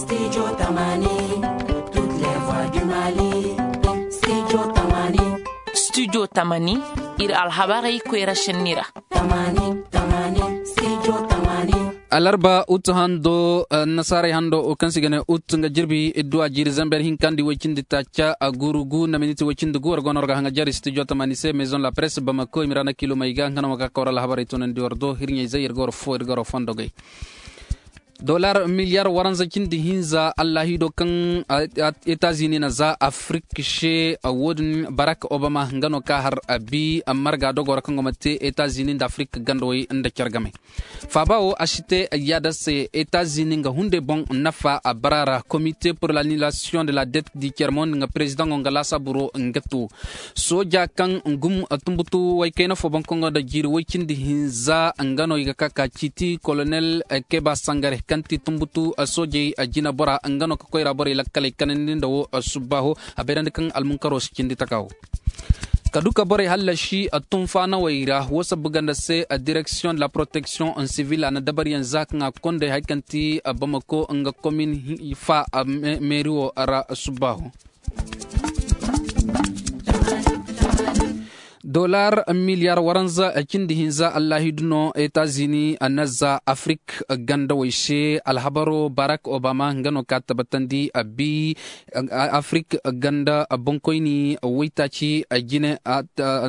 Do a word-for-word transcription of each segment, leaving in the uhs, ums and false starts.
Studio Tamani, toutes les voix du Mali. Studio Tamani. Studio Tamani, iri alhabarey koyra senni ra. Tamani, Tamani, Studio Tamani. Alarba ut hando, eh, nasaaray hando, o kaŋ se i ga ne ut nga jirbi, idduwa jiiri zamber hinka nda way cindi taaca, a guuru gu nda miniti way cindi gu, war go no war ga haŋajer Studio Tamani se, Maison la Presse, Bamako, i ma ra na kilo may ga, nga no ma ga kawra alhabarey toonandi war do, hirɲey zay, iri ga war fo, iri ga war fondogey. Dollar miliyar waranza cindi hinza, allahido kaŋ, a, a, Etazini na za Afrik se, a, wo-din Barack Obama, nga no ka har a bi, a marga dogo ra kaŋ go ma te Etazini nda Afrik gandawey nda care game. Faaba wo, a si te yaada se, Etazini nga hunday boŋ nafa a bara ra, Comité pour l'annulation de la dette du tiers monde nga président nga laasaabu ro nga to. Sooja kaŋ gum tumbutu way kayna fo boŋ kaŋ gonda jiiri way cindi hinza, nga no i ga ka ka ciiti Colonel Keba Sangare, kaŋ ti tumbutu soojey jina bora, nga no ka koyra borey lakkaley kanandi nda wo subbaaho, a bayrandi kaŋ almunkaro si cindi taka wo. Ka du ka borey hallasi tunfaanawey ra, wo sabbu ganda se, Direction de la Protection Civile a na dabariyaŋ za kaŋ a kondey hari kaŋ ti Bamako nga komin fa meeri wo ra subbaaho. Dollar miliyar waranza cindi hinza, allahidu no Etazini na za Afrik gandawey se. Alhabaro Barack Obama nga no ka tabbatandi a bi Afrik ganda boŋkoyni waytaaci jine.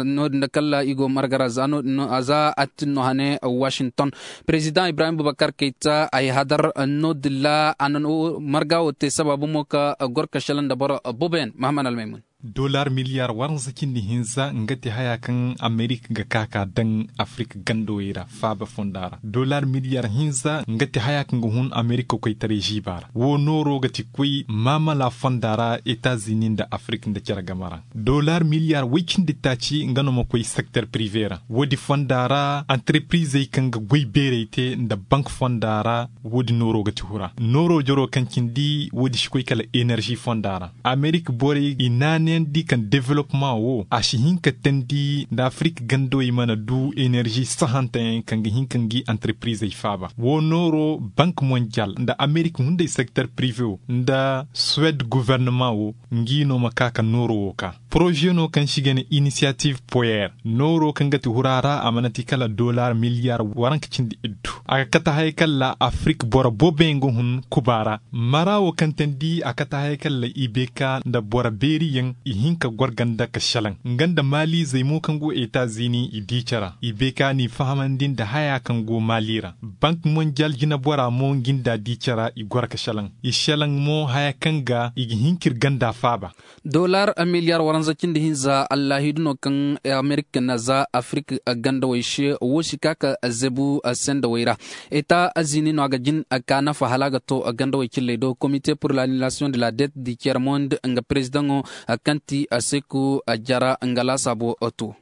No-din da kala i go marga ra za no-din no a za a tin no hane Washington. Président Ibrahim Boubacar Keita ay hadar no-din ra a na marga wo te sabaabu mo ka goro ka selaŋ nda boro boobo yaŋ. Mahamman Almaymun. Dollar miliyar waranza cindi hinza nga ti haya kaŋ Amerik ga ka ka daŋ Afrik gandawey ra faaba fonda ra. Dollar miliyar hinza nga ti haya kaŋ ga hun Amerik koytaray ziiba ra. Wo nooro ga ti koy maamala fonda ra Etazini nda Afrik nda care game ra. Dollar miliyar way cindi taaci nga no ma koy sekter prive ra. Wo-din fonda ra antarprizey kaŋ ga goy beerey te nda bank fonda ra. Wo-din nooro ga ti hura nooro jaro kaŋ cindi wo-din si koy kala enerzi fonda ra. Amerik borey i naanayandi kaŋ developma wo a si hin ka teendi nda Afrik gandawey mana du enerzi sahanta yaŋ kaŋ ga hin ka ngi antarprizey faaba. Wo nooro bank mondial nda Amerik hunday sekter prive wo nda suwed guvernema wo ngi no ma ka ka nooro wo ka. Poroze no kaŋ se i ga ne inisiyativ poyer nooro kaŋ ga ti hura ra a mana ti kala dollar miliyar waranka cindi iddu. A ga kate hayey kaŋ ra Afrik boro boobo yaŋ ga hun kuba ra. Mara wo kaŋ teendi a kate hayey kaŋ ra i beeka nda boro beeri yaŋ i hin ka goro ganda ka selaŋ nga nda maalizey mo kaŋ go etazini i di care i beeka n'i fahamandi nda haya kaŋ go mali ra. Bank mondial jinabora mo ngi nda di care i goro ka selaŋ i selaŋ mo haya kaŋ ga i ga hin ka iri ganda faaba. Dollar miliyar waranza cindi hinza allahidu no kaŋ amerika na za afirika gandawey se wo si ka ka zebu sendawey ra. Eta azini no a ga jin ka nafa hala a ga to gandawey cilley do komite pour l'annulation de la dette du tiers monde nga perezidaŋo kaŋ ti aseku jara nga laasaabo to.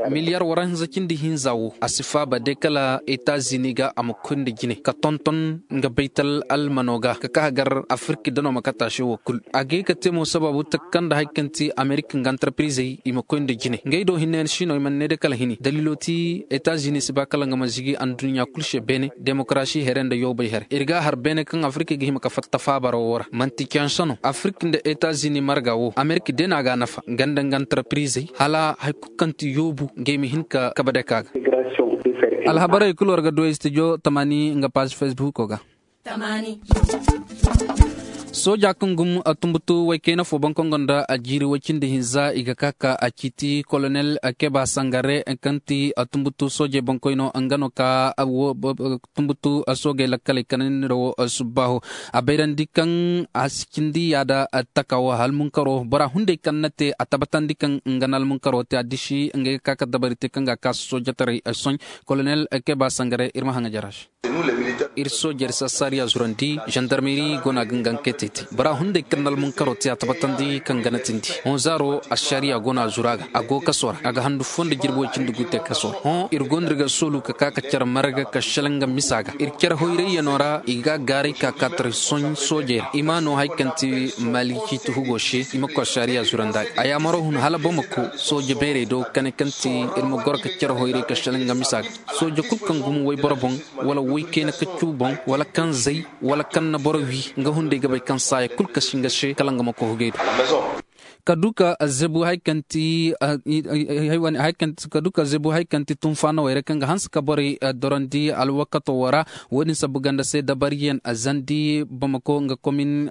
Miliyar waranza cindi hinza wo a si faaba day kala etazini ga a ma koy nda jine ka tonton nga baytal almano ga ka ka hagar afirka dano ma kata se wo kulu a ga ye ka te mo sababu taka kaŋ nda hari kaŋ ti amerika nga antarprizey i ma koy nda jine ngey do hinne yaŋ si no i mana ne day kala hini daliilo ti etazini si ba kala nga ma zigi anduɲɲa kulu se beene demokarasi here nda yoobay here iri ga a har beene kaŋ afirka ga hima ka fatta faabaro wo ra manti canse no afirka nda etazini marga wo amerika day no a ga a nafa nga nda nga antarprizey hala hari kulu kaŋ ti yoobu ngey ma hin ka kabe day ka ga alhabarey kulu war ga du studio tamani nga paazi facebook ga sooja kaŋ gum tumbutu waykayna fo boŋ kaŋ gonda a jiiri way cindi hinza i ga ka ka a ciiti kolonel keba sangare kaŋ ti tumbutu soojey boŋkoyno nga no ka tumbutu soogey lakkaley kanandi nda wo subbaaho a bayrandi kaŋ a si cindi yaada taka wo halmunkaro bora hunday kaŋ na te a tabbatandi kaŋ nga na almunkaro te a disi ngey ga ka ka dabari te kaŋ ga a ka soojataray soñ kolonel keba sangare iri ma haŋa jara se iri soojey iri si assaariya zurandi zandarmeri go no a ga nga nga kay te te bora hunday kaŋ na almunkaro te a tabbatandi kaŋ ga na tindi hõ zaaro assaariya go no a zuru a ga a go kaso ra a ga handu fo nda jirbi way cindi gu te kaso ra hõ iri go no iri ga soolu ka ka ka care marga ka selaŋ nga misa ga iri care hoyrayyano ra i ga gaaray ka ka taray soñ soojey ra i ma no hari kaŋ ti maali ciiti hugo se i ma koy assaariya zurandi a ga a yaamaro hun hala bamako sooje beerey do kane kaŋ ti iri ma goro ka care hoyray ka selaŋ nga misa ga sooje kulu kaŋ gumo wayboro boŋ wala way kayna ka Boŋ wala kaŋ zay wala kaŋ na boro wi, nga hunday ga bay kaŋ saaya kulu kasi nga se kala nga ma koy hugay do. Ka du ka zebu hari kaŋ ti hari kaŋ ti tunfaanawey ra kaŋ ga hanse ka borey dorandi alwakato wo ra. Wo- din sabbu ganda se dabariyaŋ zandi bamako nga komin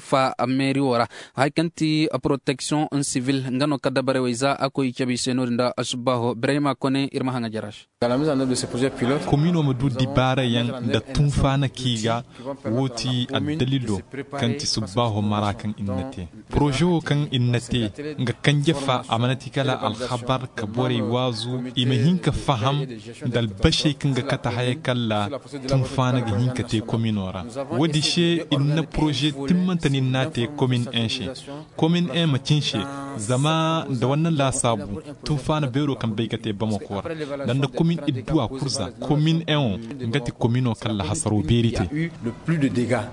fa meeri wo ra. Hari kaŋ ti poroteksiyoŋ sibil nga no ka dabarey wey za a koy i cabe i se no- din da subbaaho birayma kone iri ma haŋa jara se. Komino ma du dibaara yaŋ nda tunfaana kaŋ i ga wo ti addalilo kaŋ ti subbaaho mara kaŋ i na te. Poroze wo kaŋ i na te nga kanje fa a mana ti kala alhabar ka borey waazu i ma hin ka faham nda albasey kaŋ ga kate hayey kalla tunfaana ga hin ka te komino ra. Wo- din se i na poroze timmante no i n'a te komin en se. Komin en ma cin se zama nda wanna laasaabu tunfaana beero kaŋ bay ga te bamako ra nda nda komin idduwa kurza komin en wo nga ti komino kaŋ lahasaro beeri te.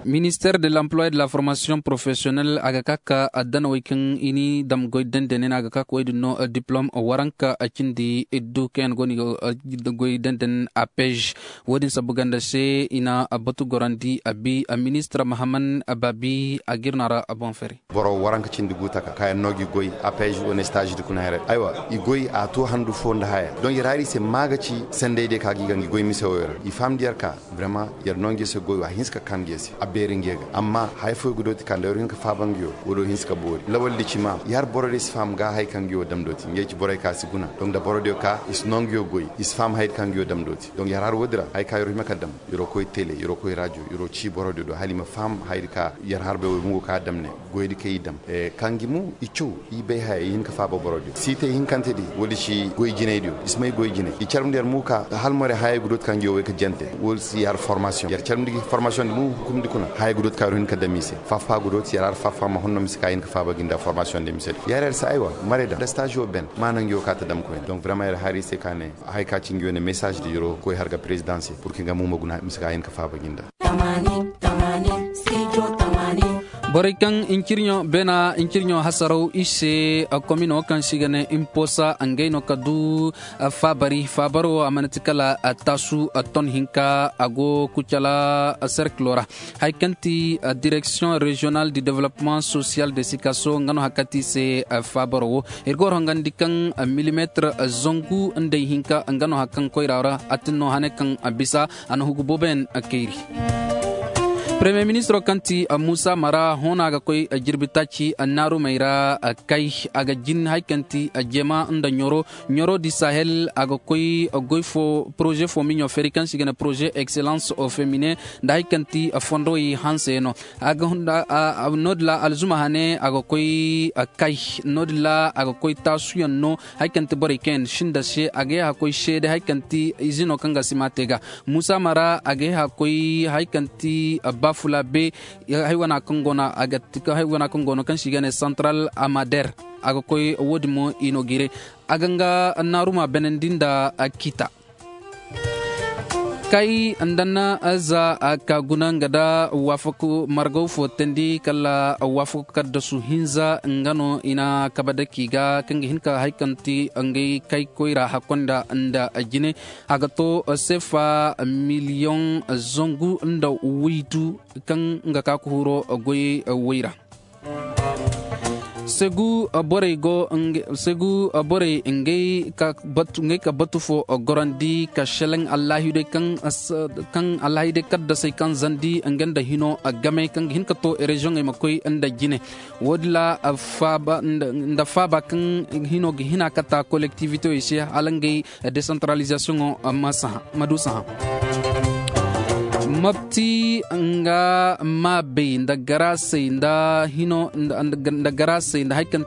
Minister de l'emploi de la formation professionnelle a ga ka ka addanawey kaŋ i ni dam goy dendene no a ga ka ka wey din no diplom waranka cindi iddu kaŋ yaŋ go no i ga goy denden apej. Wo- din sabbu ganda se i na batu gorandi a bi minister mahaman baabi a ga iri no a ra boŋ fari. Boro waranka cindi gu taka kaŋ yaŋ no ga i goy a payz wane staazi da kuna hayray aywa i goy a to handu fo nda haya. Donk yer hari i se ma ga ci sanday day kaŋ a ga i ga nga i goy mise wo yer i faham da yer ka birama yer no nga yer se goy wo a hinse ka kaanu ga yer se a beeri nga yer ga amma haya fo yer ga dooti ka nda yer hin ka faaba nga yo wo do hinse ka boori lawal da ci ma yer hari boro day si faham ga hari kaŋ nga yo dam dooti nga yer ci borey kaŋ a si guna donk da boro day ka i si no nga yo goy i si faham hari kaŋ nga yo dam dooti donk yer hari wo- din ra hari kaŋ yer hima ka dam yer wo koy tele yer wo koy rajo yer wo ci boro day do hala i ma faham hari kaŋ yer hari bay wo i ma go ka dam ne goy da kaŋ i dam kaŋ ga i mu i caw i bay haya i hin ka faaba boro day si te hinkante di wala i si goy jinay diyo i si may goy jinay i carmandi yer mu ka hala more haya ga dooti kaŋ ga yo way ka jante wala si yer hari formasiyoŋ yer carmandi ga formasiyoŋ di mu hukumdi kuna haya ga dooti kaŋ yer hin ka dam i se fafa ga dooti yer hari fafa ma honno ma si ka hin ka faaba ga i nda formasiyoŋ di mise di yer yer se aywa maray da nda staazi wo ben ma naŋ ga yo ka ta dam koy ne donk birama yer hari i se ka ne hari ka ci nga yo ne mesaazi di yer wo koy hari ga perezidaŋ se pur kaŋ nga mu ma guna mise ka hin ka faaba ga i nda. Borey kaŋ incirɲo beena incirɲo hasaraw i se komino kaŋ se i ga ne imposa ngey no ka du faabari faabaro a mana ti kala taasu ton hinka a go kucala serkilo ra. Hari kaŋ ti direksiyoŋ reziyonal du developpement sosiyal de sikaso nga no hari kaŋ ti i se faabaro wo iri ga war hongandi kaŋ milimeetir zangu nd'ey hinka nga no hari kaŋ koyra ra a tin no hane kaŋ bisa a na hugu boobo yaŋ kayri. Paremiye ministiro kaŋ ti muusa mara hõ no a ga koy jirbi taaci naarumey ra kay a ga jin hari kaŋ ti jema nda ɲoro ɲoro di sahel a ga koy goy fo poroze fo miɲo feeri kaŋ se i ga ne poroze ekselans femine nda hari kaŋ ti fondowey hanse no. No- din ra alzuma hane a ga koy kay no- din ra a ga koy taasuyaŋ no hari kaŋ ti borey kaŋ yaŋ sinda se a ga ye a koy seede hari kaŋ ti izino kaŋ ga si ma te ga muusa mara a ga ye a koy hari kaŋ ti baafula be hari wana kaŋ go no a ga ti hari wana kaŋ go no kaŋ se i ga ne santaral amader a ga koy wo- din mo i no gire a ga nga naaruma benandi nda kita. Kay nda na za ka guna nga da waafaku margaw fo tandi kala waafaku kaddasu hinza nga no i na kabe dake i ga kaŋ ga hin ka hari kaŋ ti ngey kay koyra hakkonda nda jine a ga to seefa miliyoŋ zangu nda waydu kaŋ nga ka ka huro goyey way ra. Segu borey go segu borey ngey ka batu fo gorandi ka selaŋ allahidey kaŋ allahidey kaddasey kaŋ zandi nga nda hino game kaŋ ga hin ka to reziyoŋey ma koy nda jine wo- din ra faaba nda faaba kaŋ hino ga hina ka ta kolektivitewey se hala ngey desantaralizasiyoŋo ma du saha. Mabti nga maabey nda garasey nda hino nda garasey nda hari kaŋ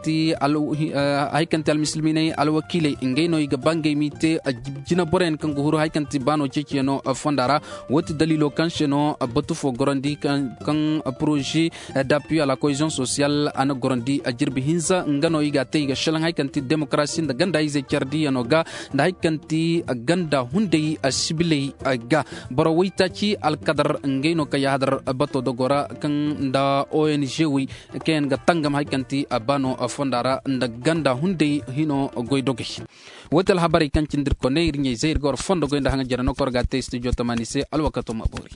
ti almisilminey alwakiiley ngey no i ga ba ngey m'i te jina boroyaŋ kaŋ ga huru hari kaŋ ti baano ceeciyaŋo fonda ra. Wo ti daliilo kaŋ se no batu fo gorandi kaŋ poroze d'appui à la cohésion sociale a na gorandi a jirbi hinza nga no i ga a te i ga selaŋ hari kaŋ ti demokarasi nda ganda izey care diyaŋo ga nda hari kaŋ ti ganda hunday sibiley ga boro waytaaci kadar ngey no kaŋ yaahadar bato dogo ra kaŋ nda ong wey kaŋ yaŋ ga tangam hari kaŋ ti a ba no fonda ra nda ganda hunday hino goy dogey. Wo ti alhabarey kaŋ cindi iri koney iri ɲey zay iri ga war fondo goy nda haŋa jare no kaŋ war ga a te studio tamaani se alwakato ma boori.